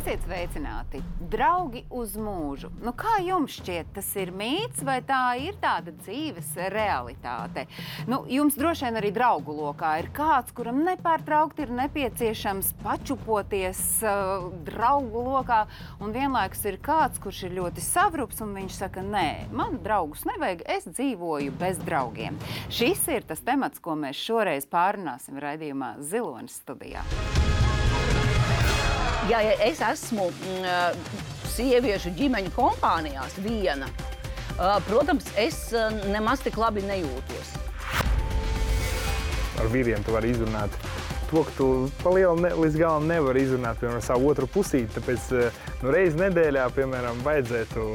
Esiet sveicināti! Draugi uz mūžu. Nu, kā jums šķiet, tas ir mīts vai tā ir tāda dzīves realitāte? Nu, jums droši vien arī draugu lokā ir kāds, kuram nepārtraukti ir nepieciešams pačupoties draugu lokā, un vienlaikus ir kāds, kurš ir ļoti savrups, un viņš saka, nē, man draugus nevajag, es dzīvoju bez draugiem. Šis ir tas temats, ko mēs šoreiz pārunāsim raidījumā Zilonis studijā. Ja es esmu sieviešu ģimeņu kompānijās viena, protams, es nemaz tik labi nejūtos. Ar vīriem tu vari izrunāt to, ka tu pa lielu līdz galam nevari izrunāt, piemēram, savu otru pusīti, tāpēc reizi nedēļā, piemēram, vajadzētu.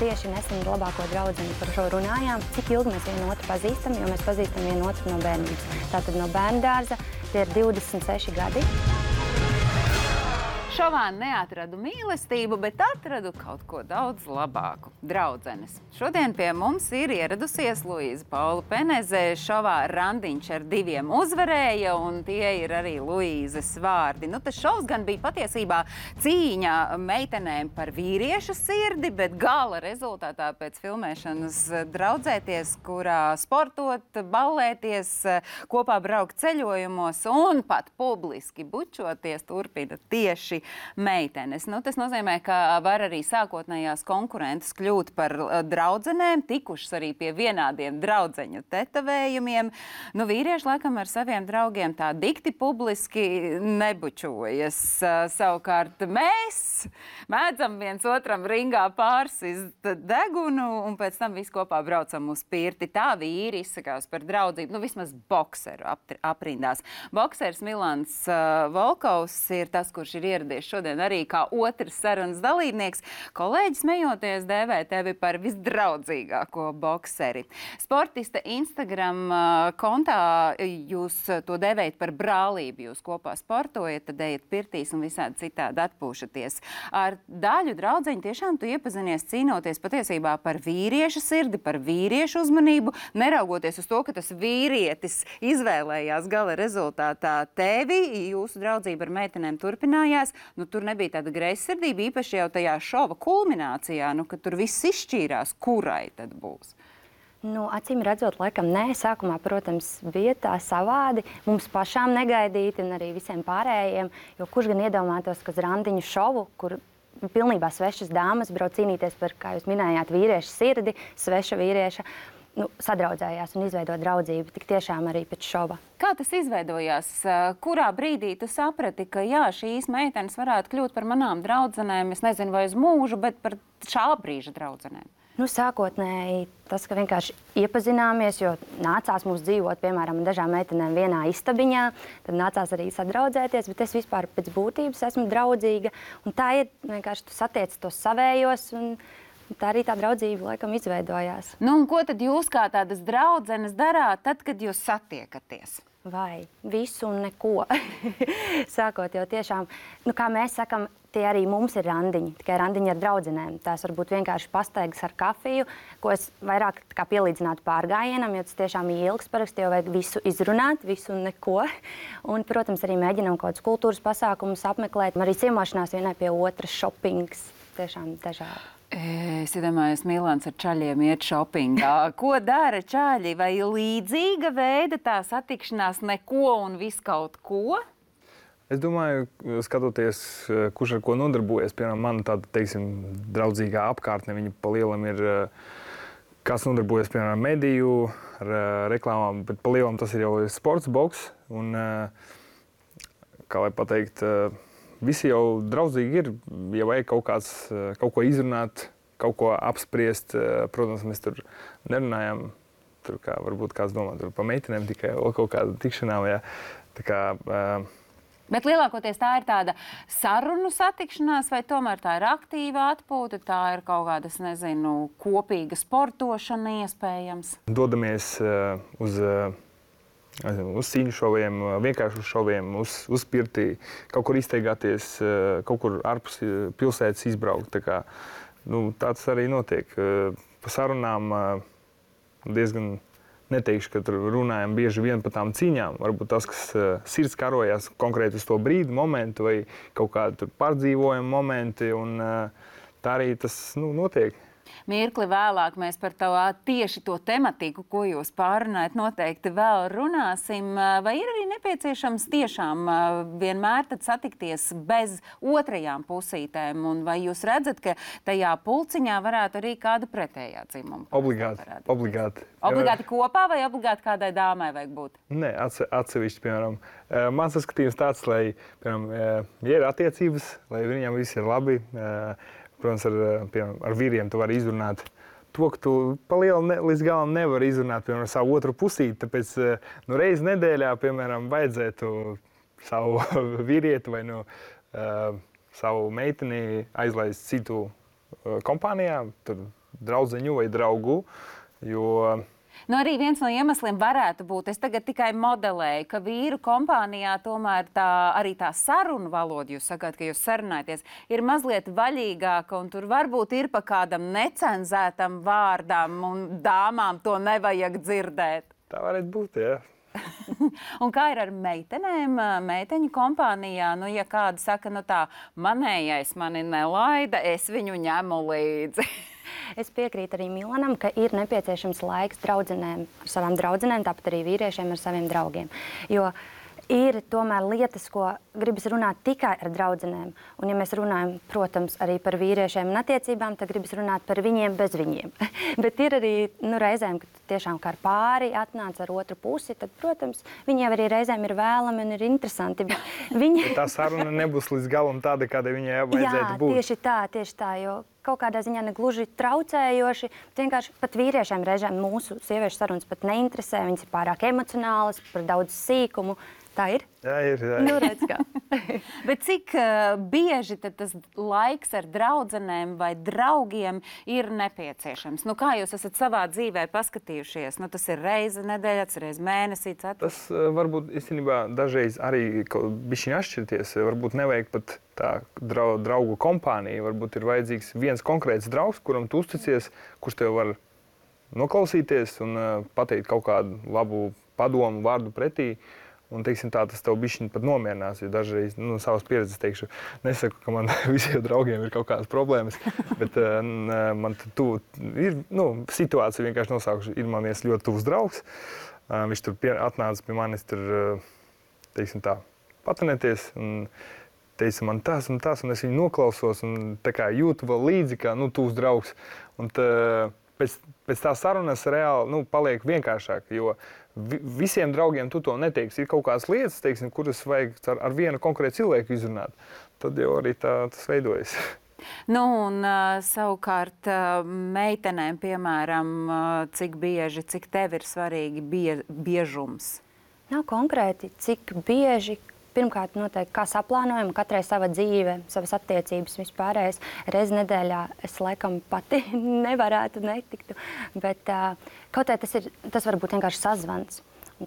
Tieši nesen ar labāko draudzeni par šo runājām, cik ilgi mēs vienu otru pazīstam, jo mēs pazīstam vienu otru no bērnības. Tātad no bērndārza tie ir 26 gadi. Šovā neatradu mīlestību, bet atradu kaut ko daudz labāku – draudzenes. Šodien pie mums ir ieradusies Luīza Paula Peneze. Šovā randiņš ar diviem uzvarēja, un tie ir arī Luīzes vārdi. Nu, tas šovs gan bija patiesībā cīņa meitenēm par vīriešu sirdi, bet gala rezultātā pēc filmēšanas draudzēties, kurā sportot, ballēties, kopā braukt ceļojumos un pat publiski bučoties turpina tieši meitenes. Nu, tas nozīmē, ka var arī sākotnējās konkurences kļūt par draudzenēm, tikušas arī pie vienādiem draudzeņu tetovējumiem. Nu, vīrieši laikam ar saviem draugiem tā dikti publiski nebučojas. Savukārt mēs mēdzam viens otram ringā pārsist degunu un pēc tam visi kopā braucam uz pirti. Tā vīri izsakās par draudzību, nu vismaz bokseru aprindās. Boksers Milans Volkovs ir tas, kurš ir ieradies šodien arī kā otrs sarunas dalībnieks. Kolēģis smejoties dēvē tevi par visdraudzīgāko bokseri. Sportista Instagram kontā jūs to dēvējat par brālību. Jūs kopā sportojat, tad ejat pirtīs un visādi citādi atpūšaties. Ar daļu draudzeņu tiešām tu iepazinies cīnoties patiesībā par vīriešu sirdi, par vīriešu uzmanību, neraugoties uz to, ka tas vīrietis izvēlējās gala rezultātā tevi. Jūsu draudzība ar meitenēm turpinājās. Nu, tur nebija tāda greizsirdība, īpaši jau tajā šova kulminācijā, nu, kad tur viss izšķīrās, kurai tad būs. Nu, acīm redzot, laikam nē. Sākumā, protams, bija tā savādi, mums pašām negaidīti un arī visiem pārējiem, jo kurš gan iedomātos, ka uz randiņu šovu, kur pilnībā svešas dāmas brauc cīnīties par, kā jūs minējāt, vīriešu sirdi, sveša vīrieša, sadraudzējās un izveido draudzību, tik tiešām arī pēc šova. Kā tas izveidojās? Kurā brīdī tu saprati, ka jā, šīs meitenes varētu kļūt par manām draudzenēm, es nezinu, vai uz mūžu, bet par šā brīža draudzenēm? Nu, sākotnēji tas, ka vienkārši iepazināmies, jo nācās mums dzīvot, piemēram, dažām meitenēm vienā istabiņā, tad nācās arī sadraudzēties, bet es vispār pēc būtības esmu draudzīga, un tā ir vienkārši tu satiec tos savējos, un tā arī tā draudzība laikam izveidojās. Nu, un ko tad jūs kā tādas draudzenes darāt tad, kad jūs satiekaties? Vai visu un neko. Sākot jau tiešām, nu, kā mēs sakam, tie arī mums ir randiņi, tikai randiņi ar draudzenēm. Tās varbūt vienkārši pastaigas ar kafiju, ko es vairāk kā pielīdzinātu pārgājienam, jo tas tiešām ir ilgs paraksti, jo vajag visu izrunāt, visu un neko. Un, protams, arī mēģinām kaut kādus kultūras pasākumus apmeklēt. Arī ciemošanās vienai pie otras, šopings, tiešām dažādi. Es iedomājos, Milans ar čaļiem iet šopingā. Ko dara čaļi? Vai līdzīga veida tā satikšanās neko un visu kaut ko? Es domāju, skatoties, kurš ar ko nodarbojas, piemēram, man tāda, teiksim, draudzīgā apkārtne, viņa pa lielam ir, kas nodarbojas, piemēram, mediju, ar reklāmām, bet pa lielam tas ir jau sports, boks, un, kā lai pateikt, visi jau draudzīgi ir, ja vajag kaut ko izrunāt, kaut ko apspriest. Protams, mēs tur nerunājam, tur kā varbūt kāds domā, tur pa meitenēm tikai kaut kāda tikšanām. Ja. Tā kā, Bet lielākoties tā ir tāda sarunu satikšanās, vai tomēr tā ir aktīva atpūta, tā ir kaut kādas, nezinu, kopīga sportošana iespējams? Dodamies uz cīņu šoviem, vienkārši uz šoviem, uz pirtī, kaut kur izteigāties, kaut kur ārpus pilsētas izbraukt. Tā kā, nu, tāds arī notiek. Pa sarunām diezgan neteikšu, ka tur runājam bieži vien par tām cīņām. Varbūt tas, kas sirds karojas konkrēti uz to brīdi, momentu vai kaut kādu pārdzīvojumu momenti, un tā arī tas notiek. Mirkli vēlāk mēs par tieši to tematiku, ko jūs pārunājat, noteikti vēl runāsim. Vai ir arī nepieciešams tiešām vienmēr tad satikties bez otrajām pusītēm? Un vai jūs redzat, ka tajā pulciņā varētu arī kāda pretējā dzimuma? Obligāti. Obligāti kopā vai obligāti kādai dāmai vajag būt? Nē, atsevišķi, piemēram. Mans skatījums tāds, lai, piemēram, ja ir attiecības, lai viņiem viss ir labi, protams, ar vīriem tu vari izrunāt to, ka tu pa lielu līdz galam nevari izrunāt, piemēram, savu otru pusīti. Tāpēc reizi nedēļā, piemēram, vajadzētu savu vīrieti vai savu meiteni aizlaist citu kompānijā, tur draudzeņu vai draugu, jo... Arī viens no iemesliem varētu būt, es tagad tikai modelēju, ka vīru kompānijā tomēr arī tā sarunu valoda, jūs sakāt, ka jūs sarunājaties, ir mazliet vaļīgāka, un tur varbūt ir pa kādam necenzētam vārdam, un dāmām to nevajag dzirdēt. Tā varētu būt, jā. Un kā ir ar meitenēm, meiteņu kompānijā? Ja kāda saka, manējais mani nelaida, es viņu ņemu līdzi. Es piekrītu arī Milanam, ka ir nepieciešams laiks draudzenēm ar savām draudzenēm, tāpat arī vīriešiem ar saviem draugiem. Jo ir tomēr lietas, ko gribas runāt tikai ar draudzenēm. Un ja mēs runājam, protams, arī par vīriešiem un attiecībām, tad gribas runāt par viņiem bez viņiem. Bet ir arī reizēm, kad tiešām kā ar pāri atnāc ar otru pusi, tad, protams, viņiem arī reizēm ir vēlami un ir interesanti. Tā saruna nebūs līdz galam tāda, kāda viņai vajadzētu būt. Jā, tieši tā, jo kaut kādā ziņā negluži traucējoši. Vienkārši pat vīriešiem reizēm mūsu sieviešu sarunas pat neinteresē, viņas ir pārāk emocionālas, par daudz sīkumu. Tā ir? Jā, ir. Redz kā. Bet cik bieži tad tas laiks ar draudzenēm vai draugiem ir nepieciešams? Kā jūs esat savā dzīvē paskatījušies? Tas ir reize nedēļā, reize mēnesī, ceturtdien? Tas varbūt īstenībā dažreiz arī bišķiņ atšķirties. Varbūt nevajag pat tā draugu kompānija. Varbūt ir vajadzīgs viens konkrēts draugs, kuram tu uzticies, kurš tev var noklausīties un pateikt kaut kādu labu padomu, vārdu pretī. Un, teiksim tā, tas tev bišķiņ pat nomierinās, jo dažreiz, savas pieredzes teikšu, nesaku, ka man visiem draugiem ir kaut kādas problēmas, bet man ir, situācija vienkārši nosaukšu, ir man viens ļoti tuvs draugs, viņš tur atnāca pie manis tur, teiksim tā, patrenēties, un teica man tas un tas, un es viņu noklausos, un tā kā jūtu vēl līdzi, kā, tuvs draugs, un pēc tā sarunas reāli, paliek vienkāršāk, jo visiem draugiem tu to neteiksi. Ir kaut kādas lietas, teiksim, kuras vajag ar vienu konkrētu cilvēku izrunāt. Tad jau arī tas veidojas. Un savukārt meitenēm, piemēram, cik bieži, cik tev ir svarīgi biežums? Nav konkrēti, cik bieži. Pirmkārt, noteikti, kā saplānojam, katrai sava dzīve, savas attiecības vispārējais. Reizi nedēļā es laikam pati nevarētu netiktu, bet kaut kā tas var būt vienkārši sazvans,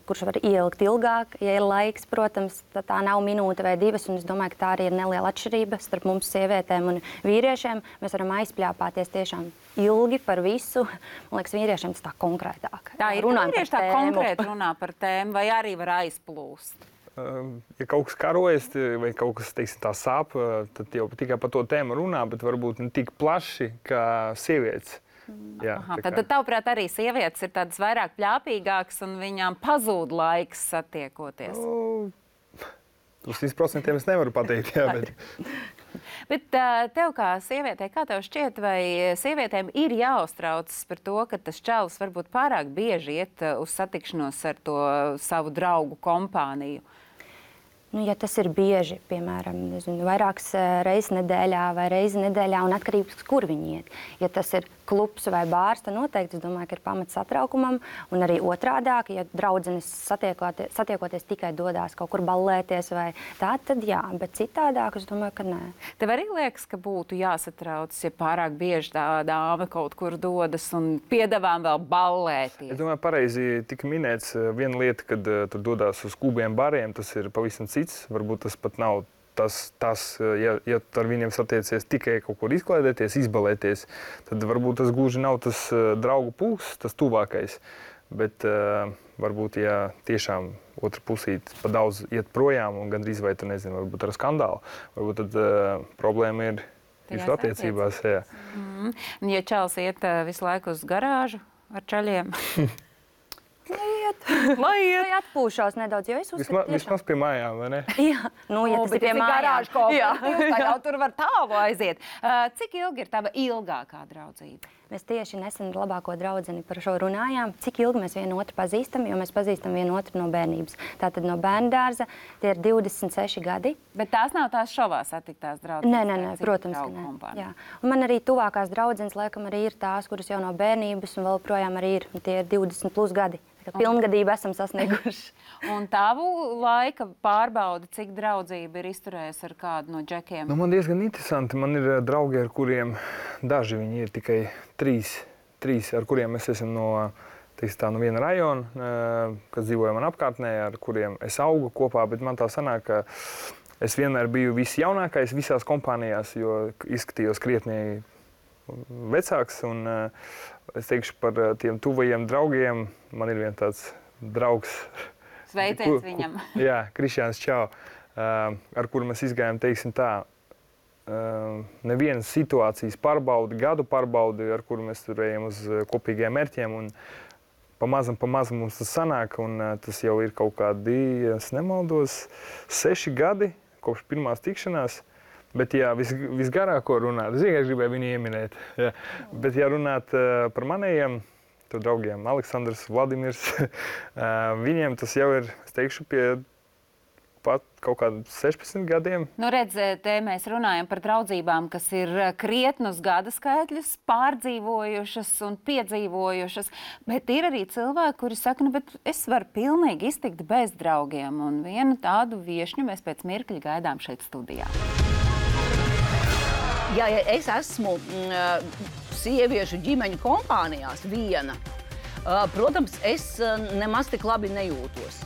kurš var ielikt ilgāk. Ja ir laiks, protams, tā nav minūte vai divas, un es domāju, ka tā arī ir neliela atšķirība starp mums sievietēm un vīriešiem. Mēs varam aizpļāpāties tiešām ilgi par visu. Man liekas, vīriešiem tas tā konkrētāk. Tā ir vīrieši tā konkrēti runā par tēmu, vai arī var aizplūst? Ja kaut kas karojas vai kaut kas, teiksim, tā sāp, tad jau tikai par to tēmu runā, bet varbūt ne tik plaši kā sievietes. Jā, tad tavuprāt arī sievietes ir tādas vairāk pļāpīgākas un viņām pazūd laiks satiekoties? Uz 100% es nevaru pateikt, jā, bet... Bet tev kā sievietei, kā tev šķiet, vai sievietēm ir jāuztraucas par to, ka tas čalis varbūt pārāk bieži iet uz satikšanos ar to savu draugu kompāniju? Ja tas ir bieži, piemēram, vairākas reizes nedēļā vai reizi nedēļā, un atkarīgs, kur viņi iet. Ja tas ir klubs vai bārs, tad noteikti, es domāju, ka ir pamats satraukumam, un arī otrādāk, ja draudzenes satiekoties tikai dodās kaut kur ballēties vai tā, tad jā, bet citādāk, es domāju, ka nē. Tev arī liekas, ka būtu jāsatrauc, ja pārāk bieži tā dāma kaut kur dodas un piedāvām vēl ballēties? Es domāju, pareizi tika minēts viena lieta, kad tur dodās uz klubiem, bariem, tas ir pavisam cits. Varbūt tas pat nav ja ar viņiem satiecies tikai kaut kur izklaidēties, izbalēties, tad varbūt tas gluži nav tas draugu pulks, tas tuvākais. Bet varbūt, ja tiešām otra pusīte pa daudz iet projām un gandrīz vai tu nezini, varbūt ar skandālu, varbūt tad problēma ir jūsu attiecībās. Jā. Ja čals iet visu laiku uz garāžu ar čaļiem? Lai atpūšās nedaudz, jo es uzskatu, Vismaz pie mājām, vai ne? Jā, nu, ja tas ir pie garāžu mājām. kooperatīvs, tad jau tur var tālu aiziet. Cik ilgi ir tava ilgākā draudzība? Mēs tieši nesen ar labāko draudzeni par šo runājām. Cik ilgi mēs vienu otru pazīstam, jo mēs pazīstam vienu otru no bērnības. Tātad no bērndārza tie ir 26 gadi. Bet tās nav tās šovā satiktās draudzenes? Nē, protams, ka nē. Jā. Un man arī tuvākās draudzenes laikam arī ir tās, kuras jau no bērnības un vēl projām arī ir. Tie ir 20 plus gadi. Pilngadību esam sasnieguši. Un tavu laika pārbaudi, cik draudzība ir izturējusi ar kādu no džekiem? Man diezgan interesanti. Man ir draugi, ar kuriem daži viņi ir tikai trīs, ar kuriem mēs esam no viena rajona, kas dzīvoja man apkārtnē, ar kuriem es augu kopā. Bet man tā sanāk, ka es vienmēr biju visjaunākais visās kompānijās, jo izskatījos krietni vecāks. Un, es teikšu par tiem tuvajiem draugiem. Man ir viens tāds draugs. Sveiciens viņam. Jā, Krišjāns Čau, ar kuru mēs izgājām, teiksim tā, nevienas situācijas pārbaudi, gadu pārbaudi, ar kuru mēs tur ejam uz kopīgiem mērķiem. Un pamazam mums tas sanāk, un tas jau ir kaut kādi, es nemaldos, 6 gadi kopš pirmās tikšanās. Bet, ja visgarāko runāt, es vienkārši gribēju viņu ieminēt. Jā. Bet, ja runāt par manējiem draugiem, Aleksandrs, Vladimirs, viņiem tas jau ir, es teikšu, pie pat kaut kādiem 16 gadiem. Nu, redz, te mēs runājam par draudzībām, kas ir krietnus gada skaitļus pārdzīvojušas un piedzīvojušas, bet ir arī cilvēki, kuri saka, nu, bet es varu pilnīgi iztikt bez draugiem, un vienu tādu viešņu mēs pēc mirkļa gaidām šeit studijā. Ja es esmu sieviešu ģimeņu kompānijās viena, protams, es nemaz tik labi nejūtos.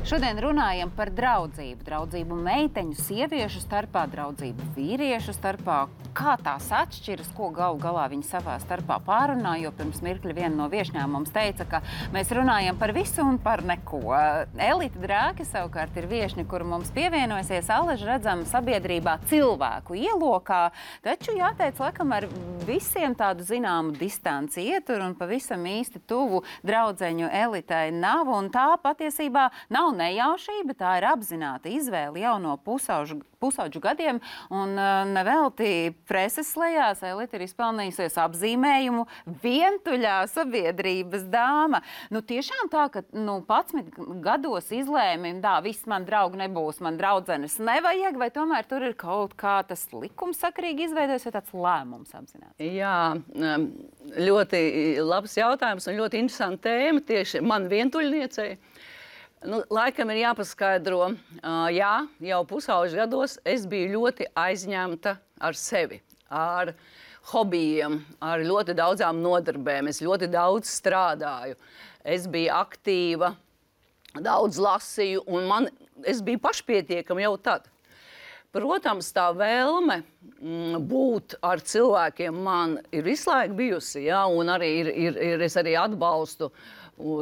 Šodien runājam par draudzību. Draudzību meiteņu, sieviešu starpā, draudzību vīriešu starpā. Kā tās atšķiras, ko galu galā viņi savā starpā pārunā, jo pirms mirkļa viena no viešņām mums teica, ka mēs runājam par visu un par neko. Elita Drāke savukārt ir viešņa, kuru mums pievienojasies alaži redzama sabiedrībā cilvēku ielokā, taču jāteic, laikam ar visiem tādu zināmu distanci ietur un pavisam īsti tuvu draudzeņu Elitai nav, un tā patiesībā nav nejaušība, tā ir apzināta izvēle jau no pusauģu gadiem, un nevelti preses lejās Elita ir izpelnījusies apzīmējumu vientuļā sabiedrības dāma. Nu, tiešām tā, ka 11 gados izlēmi, viss man draugi nebūs, man draudzenes nevajag, vai tomēr tur ir kaut kā tas likumsakarīgi izveidojas, vai tāds lēmums apzināts? Jā, ļoti labs jautājums un ļoti interesanta tēma tieši man vientuļniecei. Nu, laikam ir jāpaskaidro, jā, jau pusauģu gados es biju ļoti aizņemta ar sevi, ar hobijiem, ar ļoti daudzām nodarbēm. Es ļoti daudz strādāju, es biju aktīva, daudz lasīju, un es biju pašpietiekama jau tad. Protams, tā vēlme būt ar cilvēkiem man ir visu laiku bijusi, ja, un arī es arī atbalstu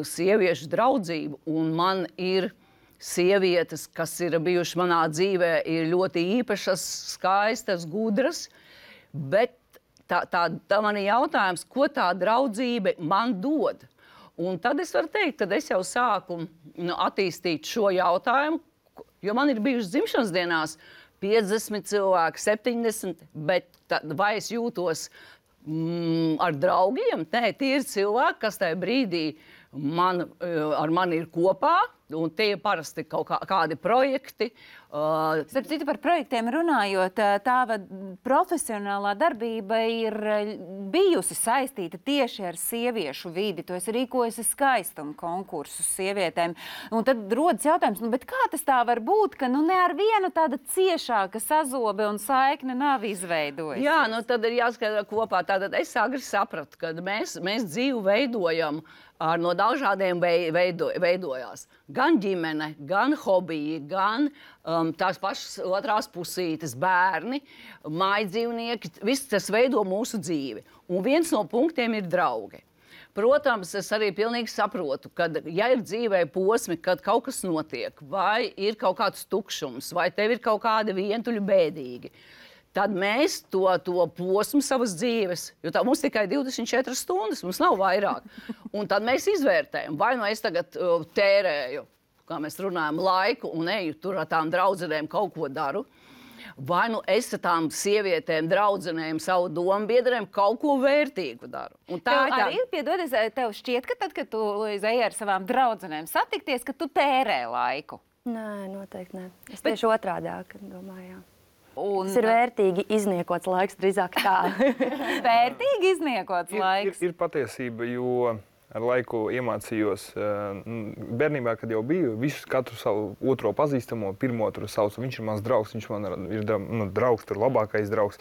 sieviešu draudzību, un man ir sievietes, kas ir bijušas manā dzīvē, ir ļoti īpašas, skaistas, gudras, bet tā man ir jautājums, ko tā draudzība man dod. Un tad es varu teikt, kad es jau sāku attīstīt šo jautājumu, jo man ir bijušas dzimšanas dienās 50 cilvēki, 70, bet vai es jūtos ar draugiem? Nē, tie ir cilvēki, kas tajā brīdī ar mani ir kopā, un tie parasti kaut kādi projekti. Starp citu, par projektiem runājot, tāva profesionālā darbība ir bijusi saistīta tieši ar sieviešu vidi. Tu esi rīkojusi skaistumu konkursus sievietēm. Un tad rodas jautājums, bet kā tas tā var būt, ka ne ar vienu tāda ciešāka sazobe un saikne nav izveidojusies? Jā, tad ir jāskaidro kopā. Tātad es agri sapratu, ka mēs dzīvi veidojam no dažādiem veidojās. Gan ģimene, gan hobiji, gan tās pašas otrās pusītes, bērni, mājdzīvnieki, viss tas veido mūsu dzīvi. Un viens no punktiem ir draugi. Protams, es arī pilnīgi saprotu, ka, ja ir dzīvē posmi, kad kaut kas notiek, vai ir kaut kāds tukšums, vai tev ir kaut kādi vientuļi bēdīgi, tad mēs to posmu savas dzīves, jo tā mums tikai 24 stundas, mums nav vairāk. Un tad mēs izvērtējam, vai nu es tagad tērēju, kā mēs runājam, laiku un eju tur ar tām draudzenēm kaut ko daru, vai nu es ar tām sievietēm, draudzenēm, savu domu biedriem kaut ko vērtīgu daru. Un Tev arī, piedodies, tev šķiet, ka tad, kad tu ej ar savām draudzenēm satikties, ka tu tērē laiku? Nē, noteikti nē. Es tieši otrādāk domāju, jā. Un Tas ir vērtīgi izniekots laiks, drīzāk tā. vērtīgi izniekots laiks. Ir patiesība, jo ar laiku iemācījos bērnībā, kad jau biju, katru savu otro pazīstamo, pirmo tur saucu, viņš ir mans draugs, viņš man ir draugs, tur labākais draugs.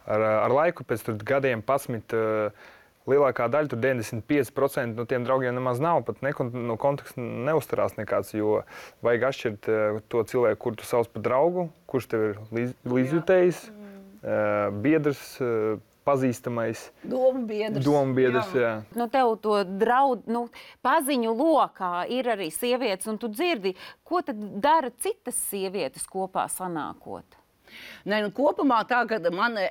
Ar laiku pēc tur gadiem 11, lielākā daļa, tur 95% no tiem draugiem nemaz nav, pat no konteksta neuztarās nekāds, jo vajag atšķirt to cilvēku, kur tu sauc par draugu, kurš tev ir līdzjutējs, biedrs, pazīstamais. Domu biedrs, jā. Nu, tev to paziņu lokā ir arī sievietes, un tu dzirdi, ko tad dara citas sievietes kopā sanākot? Nē, kopumā tā, ka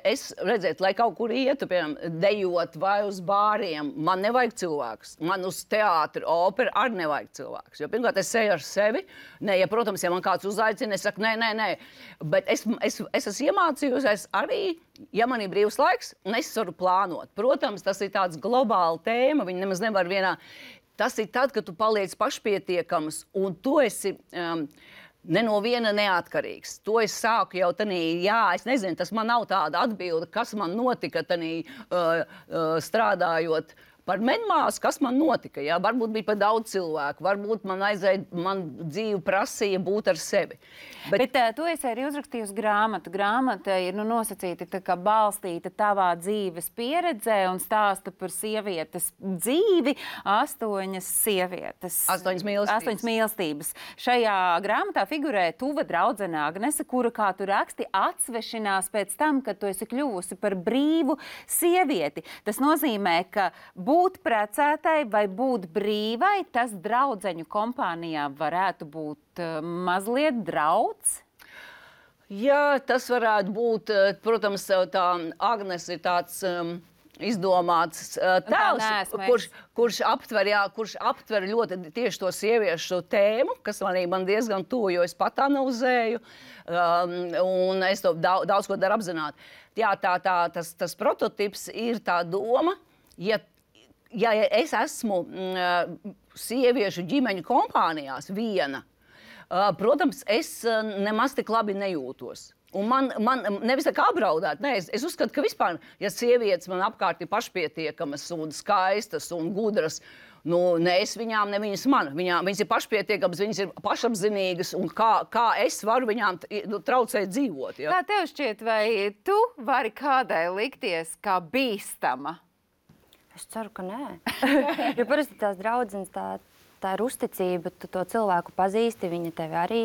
es redzētu, lai kaut kur ietu, piemēram, dejot vai uz bāriem, man nevajag cilvēkus. Man uz teātri, operu arī nevajag cilvēkus. Jo pirmkārt, es eju ar sevi. Nē, ja, protams, ja man kāds uzaicina, es saku, nē. Bet es esmu iemācījusies arī, ja man ir brīvs laiks, un es varu plānot. Protams, tas ir tāds globāla tēma, viņi nemaz nevar vienā. Tas ir tad, kad tu paliec pašpietiekams, un tu esi ne no viena neatkarīgs. To es sāku jau tanī, es nezinu, tas man nav tāda atbilde, kas man notika tanī strādājot par medmāsu, kas man notika. Jā? Varbūt bija par daudz cilvēku, varbūt man dzīve prasīja būt ar sevi. Bet tu esi arī uzrakstījusi grāmatu. Grāmata ir nosacīta tā kā balstīta tavā dzīves pieredzē un stāsta par sievietes dzīvi. 8 sievietes. 8 mīlestības. 8 mīlestības. Šajā grāmatā figurē tuva draudzene Agnese, kura, kā tu raksti, atsvešinās pēc tam, kad tu esi kļuvusi par brīvu sievieti. Tas nozīmē, ka būt precētai vai būt brīvai, tas draudzeņu kompānijā varētu būt mazliet drauds? Jā, tas varētu būt, protams, tā Agnes ir tāds izdomāts tēls, kurš aptver ļoti tieši to sieviešu tēmu, kas man diezgan tuvu, jo es pat analizēju, un es to daudz ko daru apzināti. Jā, tas prototips ir tā doma, ja es esmu sieviešu ģimeņu kompānijās viena, protams, es nemaz tik labi nejūtos. Un man nevis tā kā apdraudēt, nē, es uzskatu, ka vispār, ja sievietes man apkārt ir pašpietiekamas un skaistas un gudras, ne es viņām, ne viņas man. Viņas ir pašpietiekamas, viņas ir pašapzinīgas, un kā es varu viņām traucēt dzīvot. Ja? Kā tev šķiet, vai tu vari kādai likties kā bīstama? Es ceru, ka nē. Jo parasti tās draudzenes, tā ir uzticība, tu to cilvēku pazīsti, viņa tevi arī.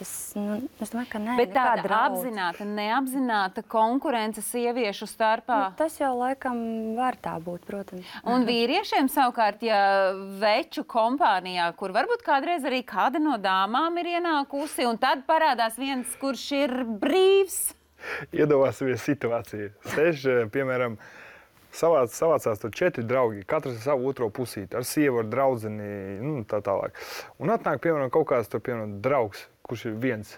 Es domāju, ka nē. Bet tāda apzināta, neapzināta konkurence sieviešu starpā? Tas jau laikam var tā būt, protams. Un vīriešiem savukārt, ja veču kompānijā, kur varbūt kādreiz arī kāda no dāmām ir ienākusi, un tad parādās viens, kurš ir brīvs? Iedomāsimies situāciju. Sēž, piemēram, savācās tur 4 draugi, katrs ar savu otro pusīti, ar sievu, ar draudzeni, tā tālāk. Un atnāk, piemēram, kaut kāds tur, piemēram, draugs, kurš ir viens.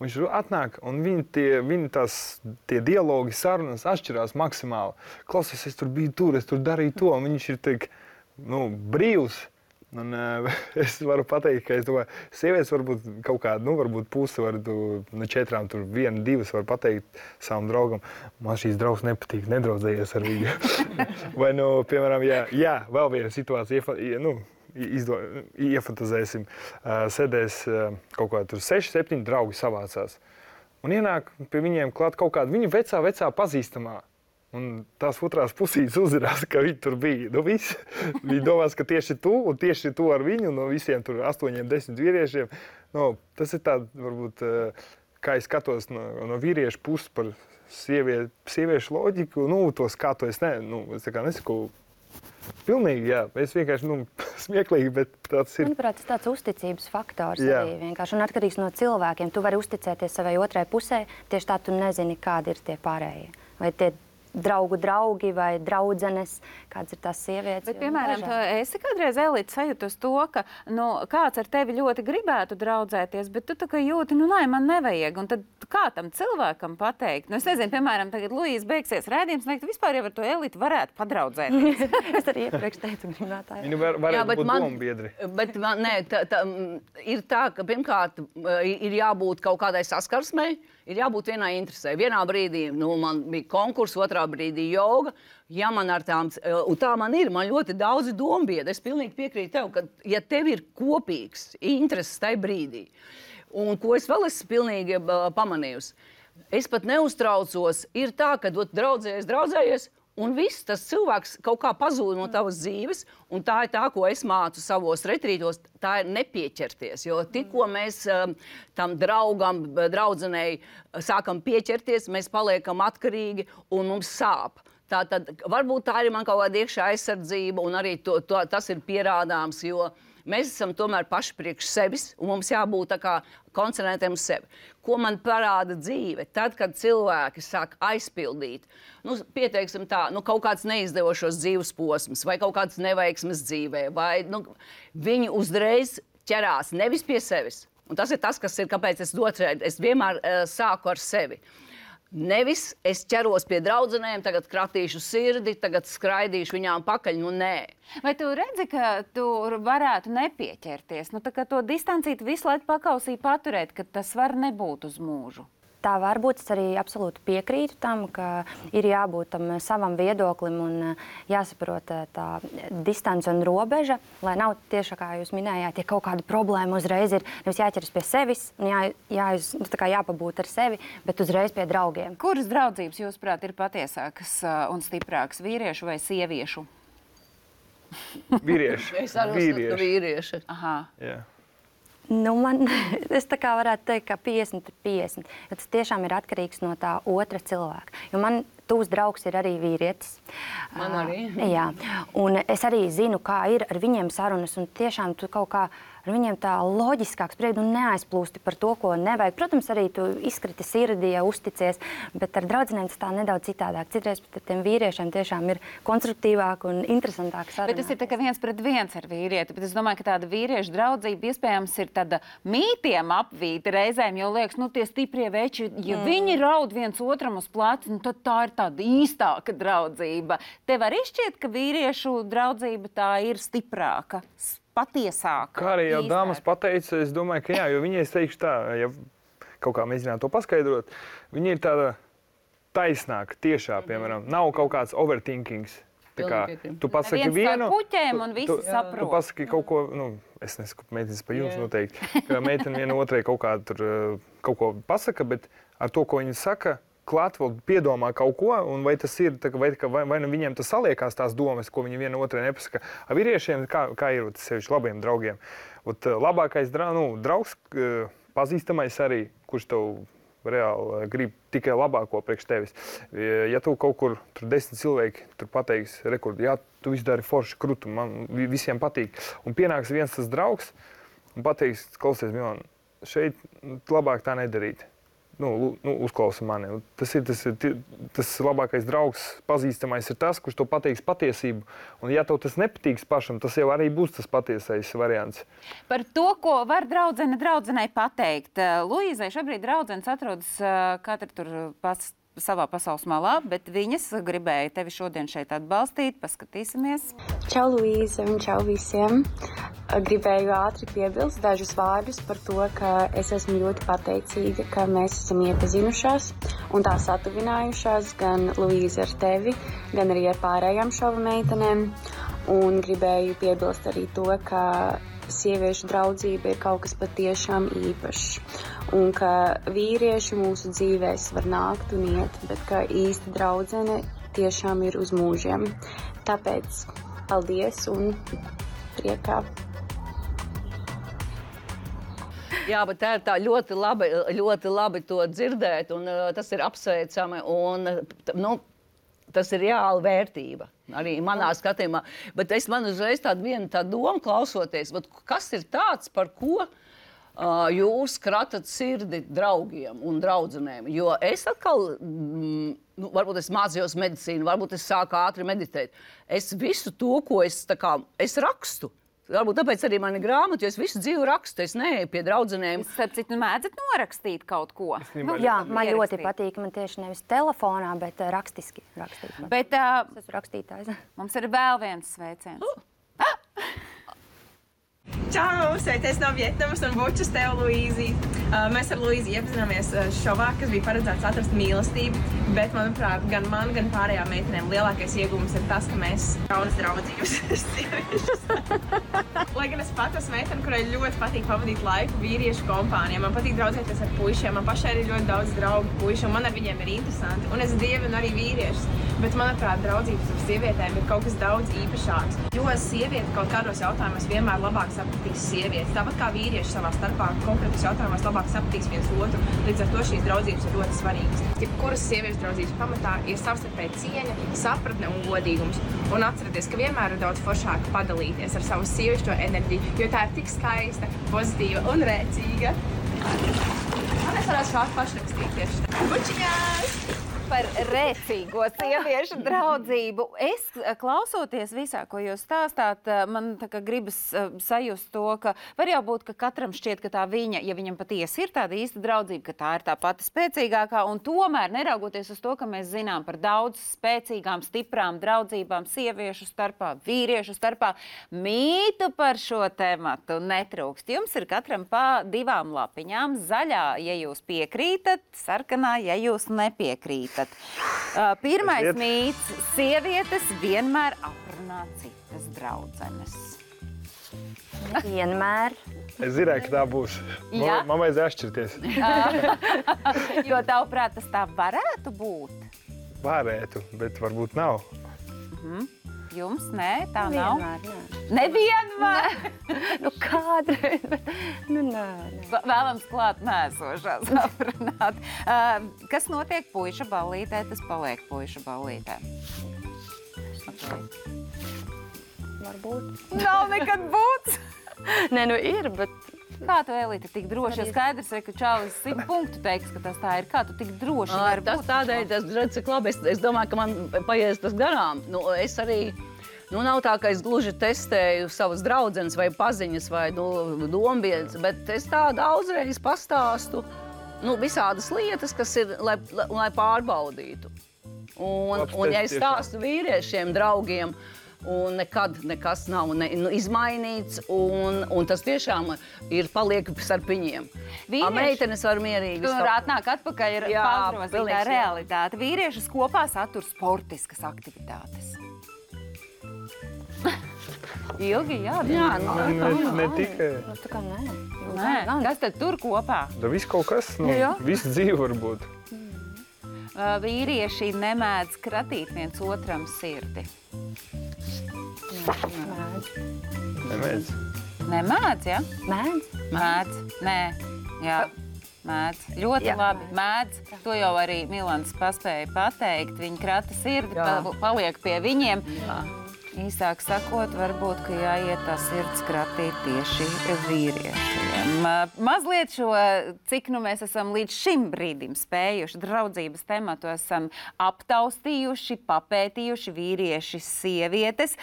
Viņš atnāk, un viņi tie dialogi, sarunas atšķirās maksimāli. Klausies, es tur biju tur, es tur darīju to, un viņš ir tik, brīvs. Un es varu pateikt, ka es domāju, sievietes varbūt kaut kādu, varbūt pusi var no 4, tur 1, 2 var pateikt savam draugam, man šīs draugs nepatīk, nedraudzējies ar viņu. Vai, piemēram, vēl viena situācija, iefantazēsim, sēdēs kaut kā tur 6, 7 draugi savācās. Un ienāk pie viņiem klāt kaut kāda viņa vecā pazīstamā. Un tās otrās pusītes uzzinās, ka viņi tur bija. Nu, visi. Viņi domās, ka tieši tu un tieši tu ar viņu, no visiem tur 8, 10 vīriešiem. Nu, tas ir tāds, varbūt, kā es skatos no vīriešu puses par sieviešu loģiku. Nu, to skatu es nesaku pilnīgi, jā. Es vienkārši, smieklīgi, bet tāds ir. Manuprāt, tas tāds uzticības faktors arī vienkārši un atkarīgs no cilvēkiem. Tu vari uzticēties savai otrai pusē, tieši tā tu nezini, kādi ir tie pārējie. Vai tie draugi vai draudzenes, kādas ir tās sievietes. Bet, piemēram, esi kādreiz, Elīte, sajūtus to, ka kāds ar tevi ļoti gribētu draudzēties, bet tu tā kā jūti, man nevajag. Un tad kā tam cilvēkam pateikt? Es nezinu, piemēram, tagad Luīza beigsies rēdījums, un vispār jau ar to Elīti varētu padraudzēties. Es arī iepriekš teicu, gribētāji. Viņi varētu būt dombiedri. Bet ir tā, ka pirmkārt ir jābūt kaut kādai saskarsmei, ir jābūt vienai interesē. Vienā brīdī man bija konkurss, otrā brīdī joga. Ja man ar tām, un tā man ir, man ļoti daudzi dombiedi. Es pilnīgi piekrītu tev, ka ja tev ir kopīgs intereses tajā brīdī, un ko es vēl esmu pilnīgi pamanījusi, es pat neuztraucos, ir tā, ka draudzējies, un viss tas cilvēks kaut kā pazūd no tavas dzīves, un tā ir tā, ko es mācu savos retrītos, tā ir nepieķerties. Jo tikko mēs tam draugam, draudzenei sākam pieķerties, mēs paliekam atkarīgi un mums sāp. Tātad varbūt tā ir man kaut kāda iekšā aizsardzība, un arī tas ir pierādāms, jo mēs esam tomēr paši priekš sevis, un mums jābūt tā kā koncentrētiem uz sevi. Ko man parāda dzīve? Tad, kad cilvēki sāk aizpildīt, pieteiksim tā, kaut kāds neizdevošos dzīves posms, vai kaut kāds neveiksmes dzīvē, vai viņi uzreiz ķerās nevis pie sevis. Un tas ir tas, kas ir, kāpēc es vienmēr sāku ar sevi. Nevis es ķeros pie draudzenēm, tagad kratīšu sirdi, tagad skraidīšu viņām pakaļ, nē. Vai tu redzi, ka tu varētu nepieķerties? Tā kā to distancīti visu laiku pakausī paturēt, ka tas var nebūt uz mūžu? Tā var būt, es arī absolūti piekrītu tam, ka ir jābūt tam savam viedoklim un jāsaprot tā distance un robeža, lai nav tieši, kā jūs minējāt, ja kaut kāda problēma uzreiz ir nevis jāķeras pie sevis un jāpabūt ar sevi, bet uzreiz pie draugiem. Kuras draudzības, jūsuprāt, ir patiesākas un stiprākas, vīriešu vai sieviešu? Vīrieši. Es arī uzskatu, ka vīrieši. Aha. Jā. Es tā kā varētu teikt, ka 50-50, jo tas tiešām ir atkarīgs no tā otra cilvēka. Jo man tuvs draugs ir arī vīrietis. Man arī. Jā, un es arī zinu, kā ir ar viņiem sarunas, un tiešām tu kaut kā ar viņiem tā loģiskāk spriedi un neaizplūsti par to, ko nevajag. Protams, arī tu izkriti sirdī, ja uzticies, bet ar draudzenēm tas tā nedaudz citādāk. Citreiz pat ar tiem vīriešiem tiešām ir konstruktīvāk un interesantāk sarunāt. Bet tas ir tā kā 1-pret-1 ar vīrieti, bet es domāju, ka tāda vīriešu draudzība iespējams ir tāda mītiem apvīta reizēm, jo liekas, tie stiprie veči, ja viņi raud viens otram uz plecu, tad tā ir tāda īstāka draudzība. Tev arī šķiet, ka vīriešu draudzība tā ir stiprāka, patiesāka? Kā arī jau dāmas pateica, es domāju, ka jā, jo viņi, es teikšu tā, ja kaut kā mēģināt to paskaidrot, viņi ir tāda taisnāka, tiešā, piemēram, nav kaut kāds overthinkings. Tā kā tu pasaki vienu, tu pasaki kaut ko, es nesaku meitenes pa jums noteikti, ka meitene viena otrai kaut ko pasaka, bet ar to, ko viņa saka, klāt vēl piedomā kaut ko, un vai tas ir, vai nu viņiem tas saliekās tās domas, ko viņi viena otrai nepasaka. Ar vīriešiem, kā ir sevišķi labiem draugiem? Labākais draugs, pazīstamais arī, kurš tev reāli grib tikai labāko priekš tevis. Ja tu kaut kur, tur 10 cilvēki, tur pateiks, jā, tu visu dari forši krutu, man visiem patīk. Un pienāks viens tas draugs un pateiks, klausies, Milāna, šeit labāk tā nedarīt. Uzklausa mani. Tas labākais draugs, pazīstamais ir tas, kurš to pateiks patiesību. Un ja tev tas nepatīks pašam, tas jau arī būs tas patiesais variants. Par to, ko var draudzenei pateikt. Luīzai šobrīd draudzenes atrodas katra tur savā pasaules malā, bet viņas gribēja tevi šodien šeit atbalstīt. Paskatīsimies. Čau, Luīza, un čau visiem. Gribēju ātri piebilst dažus vārdus par to, ka es esmu ļoti pateicīga, ka mēs esam iepazinušās un tā satuvinājušās gan Luīza ar tevi, gan arī ar pārējām šova meitenēm. Un gribēju piebilst arī to, ka sieviešu draudzība ir kaut kas patiešām īpašs. Un ka vīrieši mūsu dzīvēs var nākt un iet, bet ka īsta draudzene tiešām ir uz mūžiem. Tāpēc paldies un priekā. Jā, bet tā ir tā ļoti labi to dzirdēt, un tas ir apsveicami, un tas ir reāla vērtība. Arī manā skatījumā. Bet man uzreiz tāda doma klausoties, kas ir tāds, par ko jūs kratat sirdi draugiem un draudzenēm? Jo es atkal, varbūt es mācījos medicīnu, varbūt es sāku ātri meditēt. Es visu to, ko es rakstu. Varbūt tāpēc arī man ir grāmata, jo es visu dzīvi rakstu, es neeju pie draudzenēm. Starp citu, mēdzat norakstīt kaut ko? Jā, man ļoti patīk. Man tieši nevis telefonā, bet rakstiski rakstīt. Bet Es esmu rakstītājs. mums ir vēl viens sveiciens. Čau! Sveicies no Vietnamas un bučas tev, Luīzi! Mēs ar Luīzi iepazināmies šovā, kas bija paredzēts atrast mīlestību, bet, manuprāt, gan man, gan pārējām meitenēm lielākais iegūms ir tas, ka mēs jaunas draudzības sieviešas. Lai gan es pat esmu meitene, kurai ļoti patīk pavadīt laiku vīriešu kompānijā. Man patīk draudzēties ar puišiem, man pašai ir ļoti daudz draugu puiši, un man ar viņiem ir interesanti. Un es dievinu arī vīriešus, bet, manuprāt, draudzības ar sievietēm ir kaut kas daudz īpašāks. Jo sieviete kaut kādos jautājumos vienmēr labāk sapratīs sievietes. Tāpat kā vīrieši savā starpā konkrētos jautājumos labāk sapratīs viens otru. Līdz ar to šīs draudzības ir ļoti svarīgas. Jebkuras sieviešu draudzības pamatā ir savstarpēja cieņa, sapratne un godīgums. Un atcerieties, ka vienmēr ir daudz foršāk padalīties ar savu sievišķo enerģiju, jo tā ir tik skaista, pozitīva un rēcīga. Un es varētu šādi pašrakstīt tieši. Bučiņās! Par rēcīgo sieviešu draudzību. Es, klausoties visā, ko jūs stāstāt, man tā kā gribas sajust to, ka var jau būt, ka katram šķiet, ka tā viņa, ja viņam patiesi ir tāda īsta draudzība, ka tā ir tā pati spēcīgākā, un tomēr neraugoties uz to, ka mēs zinām par daudz spēcīgām, stiprām draudzībām sieviešu starpā, vīriešu starpā, mītu par šo tematu netrūkst. Jums ir katram pa 2 lapiņām, zaļā, ja jūs piekrītat, sarkanā, ja jūs nepiekrītat. Pirmais mīts – sievietes vienmēr aprunā citas draudzenes. Vienmēr. Es zināju, ka tā būs. Jā? Man vajadzēja atšķirties. Jo tavuprāt, tas tā varētu būt? Varētu, bet varbūt nav. Jums? Nē, tā nav? Vienmēr, Nevienmēr? Nu, kādreiz, bet nē. Vēlams klāt nēsošās aprunāt. Kas notiek puiša ballītē, tas paliek puiša ballītē. Varbūt. Nav nekad būts. Nē, nu ir, bet Kā tu, Elīte, tik droši? Jo skaidrs, ka Čālis 100 punktu teiks, ka tas tā ir. Kā tu tik droši vari būt? Tas tādēļ, redz, cik labi. Es domāju, ka man paies tas garām. Es arī, nav tā, ka es gluži testēju savas draudzenes vai paziņas vai dombiedz, bet es tā daudzreiz pastāstu visādas lietas, kas ir, lai pārbaudītu. Un ja es stāstu vīriešiem, draugiem, un nekad nekas nav izmainīts, un tas tiešām paliek starp viņiem. Meitenes var mierīgi. Tur atnāk atpakaļ ir pārgrozītā realitāte. Vīriešus kopā satur sportiskas aktivitātes. Ilgi, jā. Ne tikai. tā kā nē. Nē, kas tad tur kopā? Da viss kaut kas, visu dzīvi var būt. Vīrieši nemēdz kratīt viens otram sirdi. Nemēdz. Nemēdz, ja? Mēdz? Mēdz. Nē, jā. Mēdz. Ļoti Jā, labi. Mēdz. To jau arī Milans paspēja pateikt. Viņi krata sirdi, paliek pie viņiem. Jā. Īsāk sakot, varbūt, ka jāiet tā sirds kratīt tieši vīriešiem. Mazliet šo, cik mēs esam līdz šim brīdim spējuši draudzības tematu, esam aptaustījuši, papētījuši vīrieši, sievietes,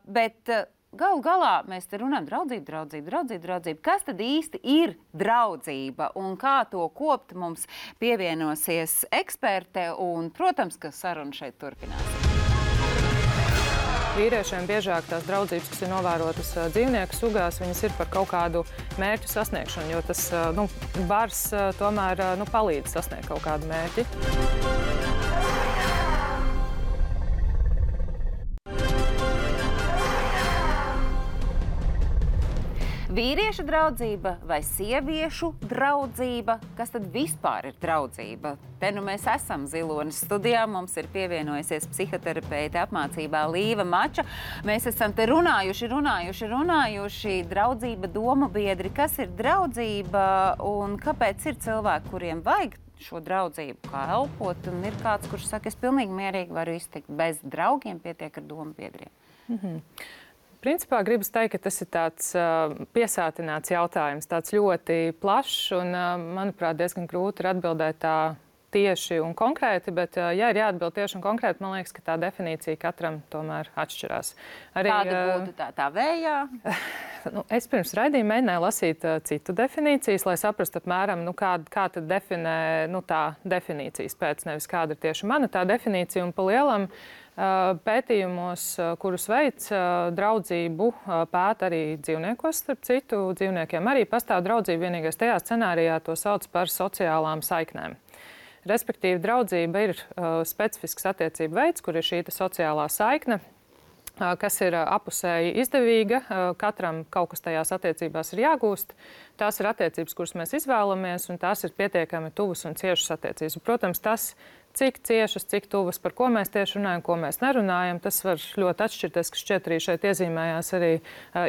bet galu galā mēs te runājam draudzība. Kas tad īsti ir draudzība un kā to kopt, mums pievienosies eksperte un, protams, ka saruna šeit turpināsies. Vīriešiem biežāk tās draudzības, kas ir novērotas dzīvnieku sugās, viņas ir par kaut kādu mērķu sasniegšanu, jo tas bars tomēr palīdz sasniegt kaut kādu mērķi. Vīriešu draudzība vai sieviešu draudzība? Kas tad vispār ir draudzība? Te nu mēs esam Zilonis studijā. Mums ir pievienojusies psihoterapeite apmācībā Līva Mača. Mēs esam te runājuši. Draudzība, domu biedri, kas ir draudzība un kāpēc ir cilvēki, kuriem vajag šo draudzību, kā elpot, un ir kāds, kurš saka, es pilnīgi mierīgi varu iztikt bez draugiem, pietiek ar domu biedriem. Principā gribas teikt, ka tas ir tāds piesātināts jautājums, tāds ļoti plašs un, manuprāt, diezgan grūti ir atbildēt tā tieši un konkrēti, bet, ja ir jāatbild tieši un konkrēti, man liekas, ka tā definīcija katram tomēr atšķirās. Kāda būtu tā vējā? Es pirms raidījuma mēģināju lasīt citu definīcijas, lai saprastu apmēram, kā tad definē tā definīcijas pēc, nevis kāda ir tieši mana tā definīcija. Un pa lielam pētījumos, kurus veic draudzību, pēta arī dzīvniekos, starp citu dzīvniekiem arī pastāv draudzība, vienīgais tajā scenārijā to sauc par sociālām saiknēm. Respektīvi, draudzība ir specifisks attiecību veids, kur ir šī sociālā saikne, kas ir apusēji izdevīga. Katram kaut kas tajās attiecībās ir jāgūst. Tās ir attiecības, kuras mēs izvēlamies, un tās ir pietiekami tuvas un ciešas attiecības. Protams, tas, cik ciešas, cik tuvas, par ko mēs tieši runājam, ko mēs nerunājam, tas var ļoti atšķirties, kas šķiet arī šeit iezīmējās arī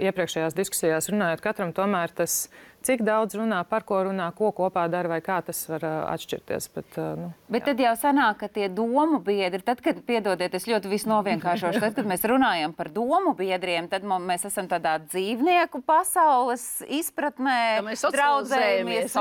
iepriekšējās diskusijās runājot. Katram tomēr tas, cik daudz runā, par ko runā, ko kopā dara vai kā tas var atšķirties. Bet tad jau sanāk, ka tie domu biedri, tad, kad, piedodiet, es ļoti visu novienkāršošu, tad, kad mēs runājam par domu biedriem, tad mēs esam tādā dzīvnieku pasaules izpratnē, socializējamies,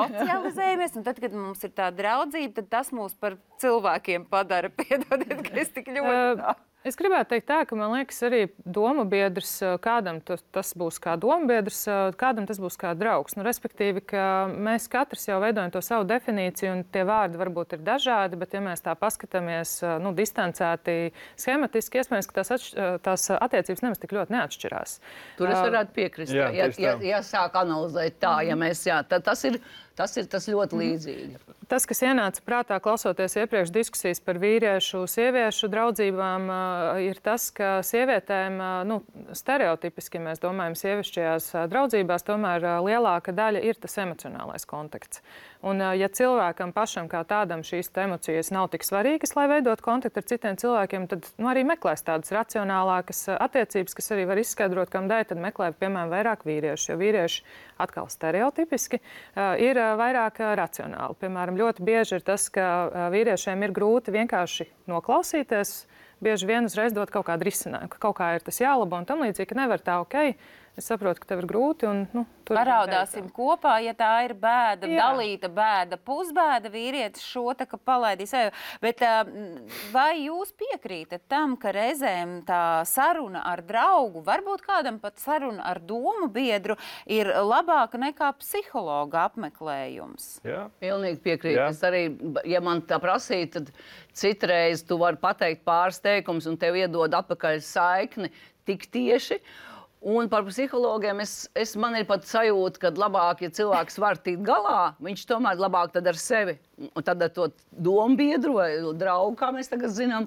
un tad, kad mums ir tā draudzība, tad tas mūs par cilvēkiem padara. Piedodiet, ka es tik ļoti tā. Es gribētu teikt tā, ka man liekas arī domu biedrs, kādam tas būs kā domu biedrs, kādam tas būs kā draugs. Respektīvi, ka mēs katrs jau veidojam to savu definīciju, un tie vārdi varbūt ir dažādi, bet ja mēs tā paskatāmies distancēti, schematiski, iespējams, ka tās attiecības nemaz tik ļoti neatšķirās. Tur es varētu piekrist. Ja sāk analizēt tā, tad tas ir ļoti līdzīgi. Tas, kas ienāca prātā, klausoties iepriekš diskusijas par vīriešu, sieviešu draudzībām, ir tas, ka sievietēm, stereotipiski mēs domājam, sievišķajās draudzībās, tomēr lielāka daļa ir tas emocionālais kontakts. Un, ja cilvēkam pašam kā tādam šīs emocijas nav tik svarīgas, lai veidot kontaktu ar citiem cilvēkiem, tad arī meklēs tādas racionālākas attiecības, kas arī var izskaidrot, kam dēļ, tad meklē, piemēram, vairāk vīriešu. Jo vīrieši atkal stereotipiski ir vairāk racionāli. Piemēram, ļoti bieži ir tas, ka vīriešiem ir grūti vienkārši noklausīties, bieži vien uzreiz dot kaut kādu risinājumu, ka kaut kā ir tas jālabo un tam līdzīgi, ka nevar tā, es saprotu, ka tev ir grūti. Paraudāsim kopā, ja tā ir bēda, dalīta bēda, pusbēda, vīrietis šo tā kā palaidīs. Bet vai jūs piekrītat tam, ka reizēm tā saruna ar draugu, varbūt kādam pat saruna ar domu biedru, ir labāka nekā psihologa apmeklējums? Jā. Pilnīgi piekrītu. Es arī, ja man tā prasīja, tad citreiz tu vari pateikt pāris teikumus un tev iedod atpakaļ saikni tik tieši. Un par psihologiem man ir pat sajūta, ka labāk, ja cilvēks var tikt galā, viņš tomēr labāk tad ar sevi. Un tad ar to domu biedru vai draugu, kā mēs tagad zinām.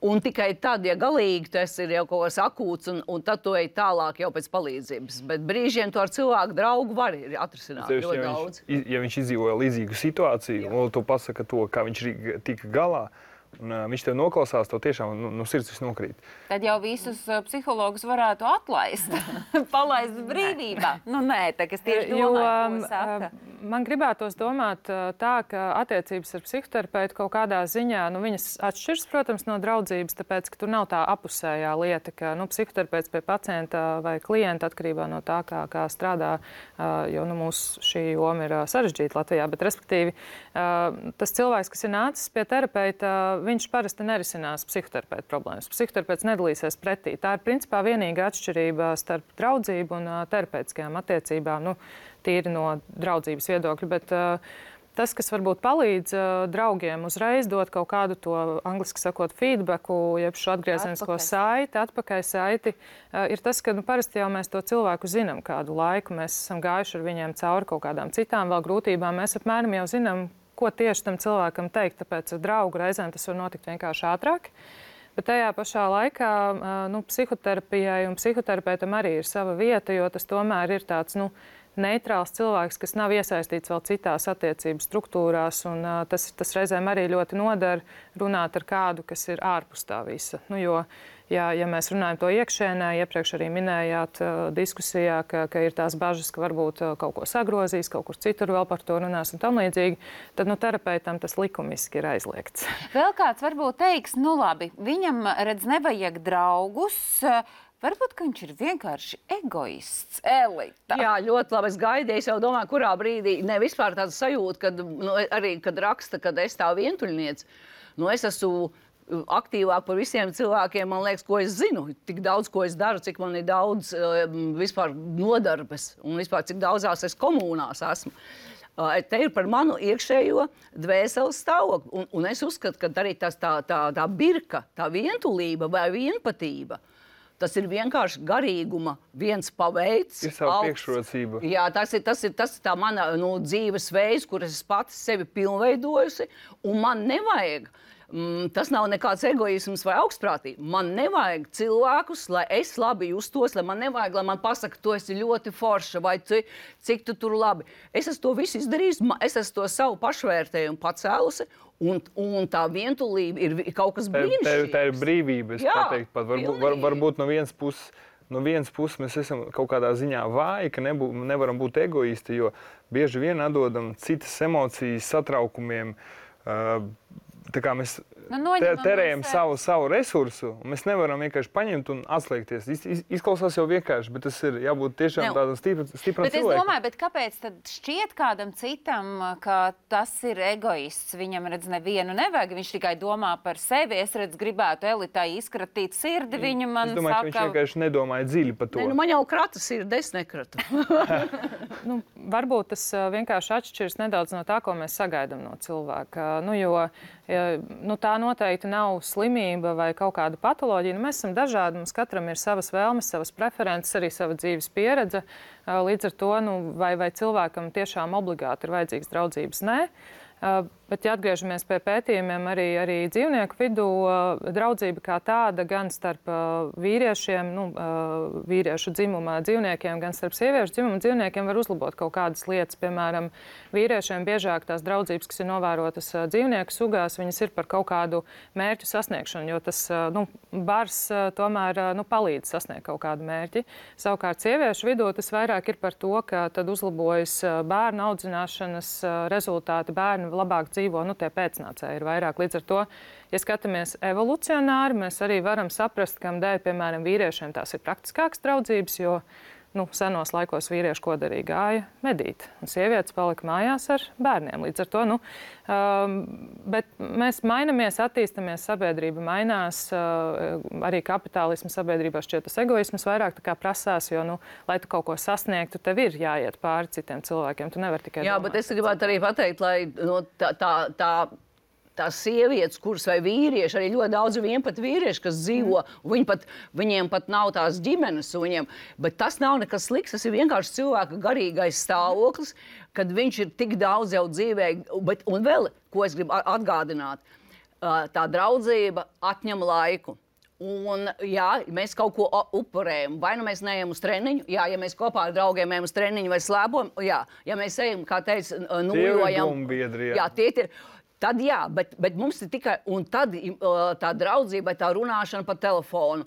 Un tikai tad, ja galīgi tas ir jau kaut kas akūts, un tad tu ej tālāk jau pēc palīdzības. Bet brīžiem to ar cilvēku draugu var atrisināt ļoti daudz. Ja viņš izdzīvoja līdzīgu situāciju, un tu pasaka to, kā viņš tika galā, un viņš tev noklausās, tev tiešām sirds viss nokrīt. Tad jau visus psihologus varētu atlaist, palaist brīvībā. Nē, tā, kas tieši domāju, ko saka. Man gribētos domāt tā, ka attiecības ar psihoterapeitu kaut kādā ziņā, viņas atšķiras, protams, no draudzības, tāpēc, ka tur nav tā apusējā lieta, ka psihoterapeits pie pacienta vai klienta atkarībā no tā, kā strādā, jo mūsu šī joma ir sarežģīta Latvijā, bet respektīvi tas cilvēks, kas ir nācis pie terapeita, viņš parasti nerisinās psihoterapeita problēmas. Psihoterapeits nedalīsies pretī. Tā ir principā vienīga atšķirība starp draudzību un terapeitiskajām attiecībām, tīri no draudzības viedokļa. Bet tas, kas varbūt palīdz draugiem uzreiz dot kaut kādu to, angliski sakot, feedbacku, jeb šo atgriezenisko saiti, atpakaļ saiti, ir tas, ka parasti jau mēs to cilvēku zinām kādu laiku. Mēs esam gājuši ar viņiem cauri kaut kādām citām vēl grūtībām. Mēs apmēram jau zinām, ko tieši tam cilvēkam teikt, tāpēc ar draugu reizēm tas var notikt vienkārši ātrāk. Bet tajā pašā laikā psihoterapijai un psihoterapeitam arī ir sava vieta, jo tas tomēr ir tāds neitrāls cilvēks, kas nav iesaistīts vēl citās attiecību struktūrās. Un, tas reizēm arī ļoti nodara runāt ar kādu, kas ir ārpus tā visa. Jo, ja mēs runājam to iekšēnē, iepriekš arī minējāt diskusijā, ka ir tās bažas, ka varbūt kaut ko sagrozīs, kaut kur citur vēl par to runās un tam līdzīgi, tad terapeitam tas likumiski ir aizliegts. Vēl kāds varbūt teiks, labi, viņam redz nevajag draugus, varbūt, ka viņš ir vienkārši egoists, elita. Jā, ļoti labi. Es gaidīju, es jau domāju, kurā brīdī, ne vispār tāda sajūta, arī, kad raksta, kad es tā vientuļniec, es esmu aktīvāk par visiem cilvēkiem, man liekas, ko es zinu, tik daudz, ko es daru, cik man ir daudz vispār nodarbes un vispār cik daudzās es komunās esmu. Te ir par manu iekšējo dvēseles stāvokli. Un es uzskatu, ka arī tā birka, tā vientulība vai vienpatība, tas ir vienkārši garīguma viens paveids. Ir savu priekšrocību. Jā, tas ir tā mana dzīves veids, kur es pati sevi pilnveidojusi, un man nevajag. Tas nav nekāds egoisms vai augstprātība. Man nevajag cilvēkus, lai es labi justos, lai man pasaka, tu esi ļoti forša vai cik tu tur labi. Es esmu to visu izdarījusi, es esmu to savu pašvērtējumu pacēlusi, un tā vientulība ir kaut kas brīnišķīgs. Tā ir brīvība, es pateiktu pat. Varbūt no vienas puses mēs esam kaut kādā ziņā vāji, ka nevaram būt egoisti, jo bieži vien atdodam citas emocijas, satraukumiem. Tā kā mēs terējam savu resursu, un mēs nevaram vienkārši paņemt un atslēgties. Izklausās jau vienkārši, bet tas ir jābūt tiešām tādam stipram cilvēkam. Bet es domāju, kāpēc tad šķiet kādam citam, ka tas ir egoists? Viņam, redz, nevienu nevajag, viņš tikai domā par sevi. Es, redz, gribētu elitai izkratīt sirdi, viņa man saka... Es domāju, ka viņš vienkārši nedomāja dziļi par to. Man jau krata sirdi, es nekratu. Varbūt tas vienkārši atšķiras nedaudz no tā, ko mēs sagaidām no cilvēka. Jo tā noteikti nav slimība vai kaut kāda patoloģija. Mēs esam dažādi, mums katram ir savas vēlmes, savas preferences, arī sava dzīves pieredze. Līdz ar to, vai cilvēkam tiešām obligāti ir vajadzīgas draudzības? Nē. Bet, ja atgriežamies pie pētījumiem, arī dzīvnieku vidū, draudzība kā tāda gan starp vīriešiem, vīriešu dzimuma dzīvniekiem, gan starp sieviešu dzimuma dzīvniekiem var uzlabot kaut kādas lietas. Piemēram, vīriešiem biežāk tās draudzības, kas ir novērotas dzīvnieku sugās, viņas ir par kaut kādu mērķu sasniegšanu, jo tas bars tomēr palīdz sasniegt kaut kādu mērķi. Savukārt sieviešu vidū tas vairāk ir par to, ka tad uzlabojas bērnu audzināšanas rezultāti, bērni labāk dzīvo, tie pēcnācēji ir vairāk. Līdz ar to, ja skatāmies evolucionāri, mēs arī varam saprast, kam dēļ, piemēram, vīriešiem tās ir praktiskākas draudzības, jo senos laikos vīrieši ko darīja, gāja medīt, un sievietes palika mājās ar bērniem. Līdz ar to, bet mēs mainamies, attīstamies, sabiedrība mainās, arī kapitālismu sabiedrībā šķiet tas egoisms vairāk tā kā prasās, jo, lai tu kaut ko sasniegtu, tev ir jāiet pāri citiem cilvēkiem, tu nevari tikai domāt. Bet es gribētu arī pateikt, lai tās sievietes, kuras vai vīrieši, arī ļoti daudz vienpat vīrieši, kas dzīvo, viņiem pat nav tās ģimenes, bet tas nav nekas slikts, tas ir vienkārši cilvēka garīgais stāvoklis, kad viņš ir tik daudz jau dzīvē, un vēl, ko es gribu atgādināt, tā draudzība atņem laiku. Un, jā, mēs kaut ko upurējam. Vai mēs neejam uz treniņu? Jā, ja mēs kopā ar draugiem ejam uz treniņu vai slēpojam, jā. Ja mēs ejam, kā teica, nojojam. Jā, tie ir. Tad jā, bet mums ir tikai, un tad tā draudzība, tā runāšana pa telefonu.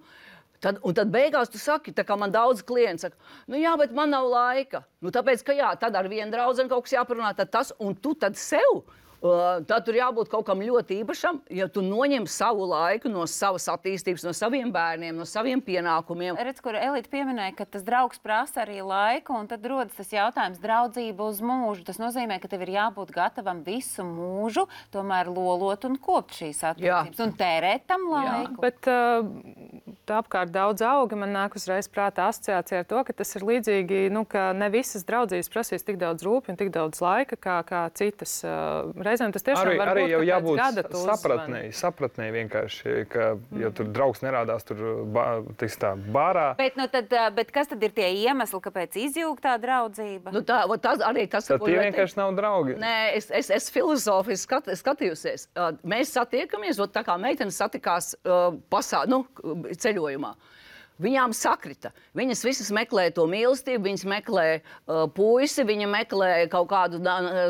Un tad beigās tu saki, tā kā man daudz klienti saka, jā, bet man nav laika. Tāpēc, ka jā, tad ar vienu draudzeni kaut kas jāparunā, tad tas, un tu tad sev. Tad tur jābūt kaut kam ļoti īpašam, ja tu noņem savu laiku no savas attīstības, no saviem bērniem, no saviem pienākumiem. Redz, kur Elīte pieminēja, ka tas draugs prasa arī laiku, un tad rodas tas jautājums draudzība uz mūžu. Tas nozīmē, ka tev ir jābūt gatavam visu mūžu, tomēr lolot un kopt šīs attiecības un tērēt tam laiku. Jā, bet apkārt daudz auga, man nāk uzreiz prātā asociācija ar to, ka tas ir līdzīgi, ka ne visas draudzības prasīs tik daudz rūpju un tik daudz laika, kā citas. Reizēm tas tiešām var būt, jau ka pēc gada tu sapratnēji vienkārši, ka, ja tur draugs nerādās tur bārā. Bet kas tad ir tie iemesli, kāpēc izjūg tā draudzība? Tas tad tie vienkārši nav draugi. Nē, es filozofiski skatījusies. Mēs satiekamies, tā kā meitenes satikās ceļojumā. Viņām sakrita. Viņas visas meklē to mīlestību, viņas meklē puisi, viņa meklē kaut kādu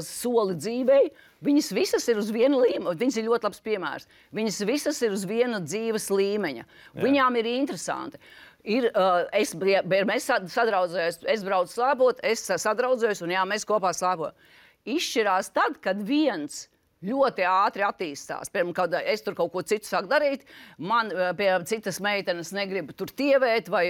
soli dzīvei. Viņas visas ir uz viena līmeņa, viņas ir ļoti labs piemērs. Viņas visas ir uz viena dzīves līmeņa. Viņām ir interesanti. Mēs sadraudzējos, es braucu slēpot, es sadraudzējos un mēs kopā slēpojam. Izšķirās tad, kad viens ļoti ātri attīstās. Piemēram, kad es tur kaut ko citu sāku darīt, man, piemēram, citas meitenes negrib tur tievēt vai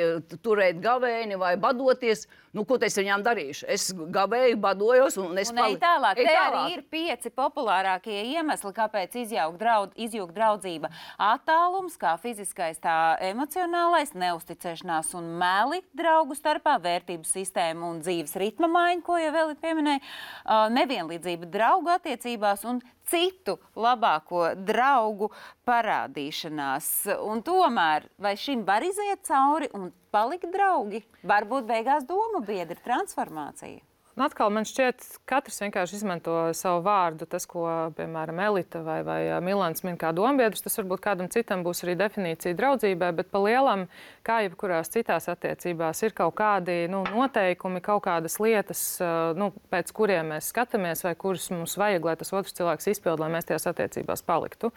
turēt gavēni vai badoties. Ko es viņām darīšu? Es gavēju, badojos un es paliku. Tālāk. Te arī ir 5 populārākie iemesli, kāpēc izjūg draudzība. Attālums, kā fiziskais, tā emocionālais, neusticēšanās un meli draugu starpā, vērtību sistēma un dzīves ritma maiņa, ko jau vēl pieminēja, nevienlīdzība draugu attiecībās un citu labāko draugu parādīšanās. Un tomēr, vai šim var iziet cauri un palikt draugi? Varbūt beigās domu biedri transformācija. Atkal man šķiet, katrs vienkārši izmanto savu vārdu. Tas, ko, piemēram, Elita vai Milans min kā dombiedrs, tas varbūt kādam citam būs arī definīcija draudzībai, bet pa lielam, kā jebkurās citās attiecībās, ir kaut kādi noteikumi, kaut kādas lietas, pēc kuriem mēs skatāmies vai kurus mums vajag, lai tas otrs cilvēks izpild, lai mēs tajās attiecībās paliktu.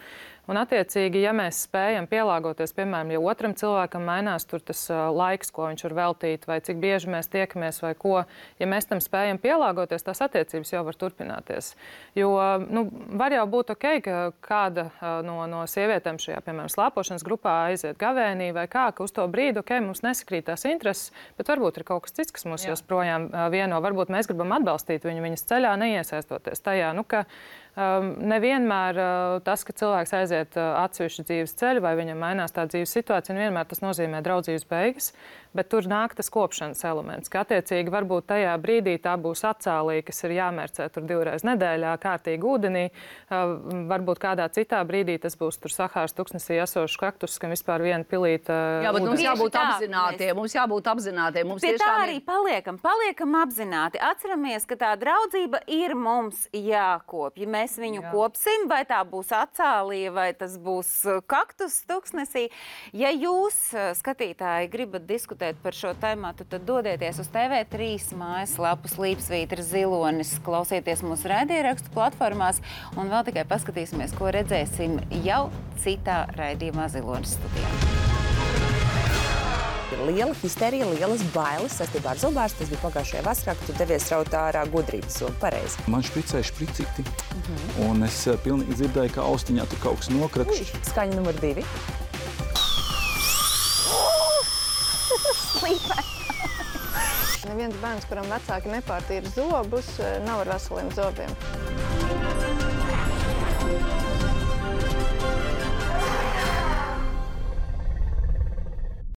Un, attiecīgi, ja mēs spējam pielāgoties, piemēram, ja otram cilvēkam mainās tur tas laiks, ko viņš var veltīt, vai cik bieži mēs tiekamies, vai ko, ja mēs tam spējam pielāgoties, tās attiecības jau var turpināties. Jo, var jau būt ok, ka kāda no sievietēm šajā, piemēram, slēpošanas grupā aiziet gavēnī vai kā, ka uz to brīdi, ok, mums nesakrīt tās intereses, bet varbūt ir kaut kas cits, kas mūs joprojām vieno. Varbūt mēs gribam atbalstīt viņas ceļā, neiesaistoties tajā, ka nevienmēr tas, ka cilvēks aiziet atsevišķu dzīves ceļu vai viņam mainās tā dzīves situācija, nevienmēr tas nozīmē draudzības beigas, bet tur nāk tas kopšanas elements, ka attiecīgi varbūt tajā brīdī tā būs atcālī, kas ir jāmērcē tur 2 reizes nedēļā, kārtīgi ūdenī, varbūt kādā citā brīdī tas būs tur Sahāras tuksnesī esošs kaktus, kam vispār viena pilīta. Jā, bet mums jābūt apzinātiem. Pie tā arī paliekam apzināti. Atceramies, ka tā draudzība ir mums jākopja. Mēs viņu kopsim, vai tā būs atcālija, vai tas būs kaktus tuksnesī. Ja jūs, skatītāji, gribat diskutēt par šo taimātu, tad dodieties uz TV3 mājaslapu Slīpsvītra Zilonis, klausieties mūsu raidierakstu platformās un vēl tikai paskatīsimies, ko redzēsim jau citā raidījumā Zilonis studijā. Ir liela histerija, lielas bailes saistībā ar zobārstu. Tas bija pagājušajā vasarā, kad tu devies raut ārā gudrības zobu. Pareizi. Man špricēja špricīti, un es pilnīgi dzirdēju, ka austiņā tur kaut kas nokrakšķi. Skaņa numur 2. Neviens bērns, kuram vecāki nepārtīra zobus, nav ar veseliem zobiem.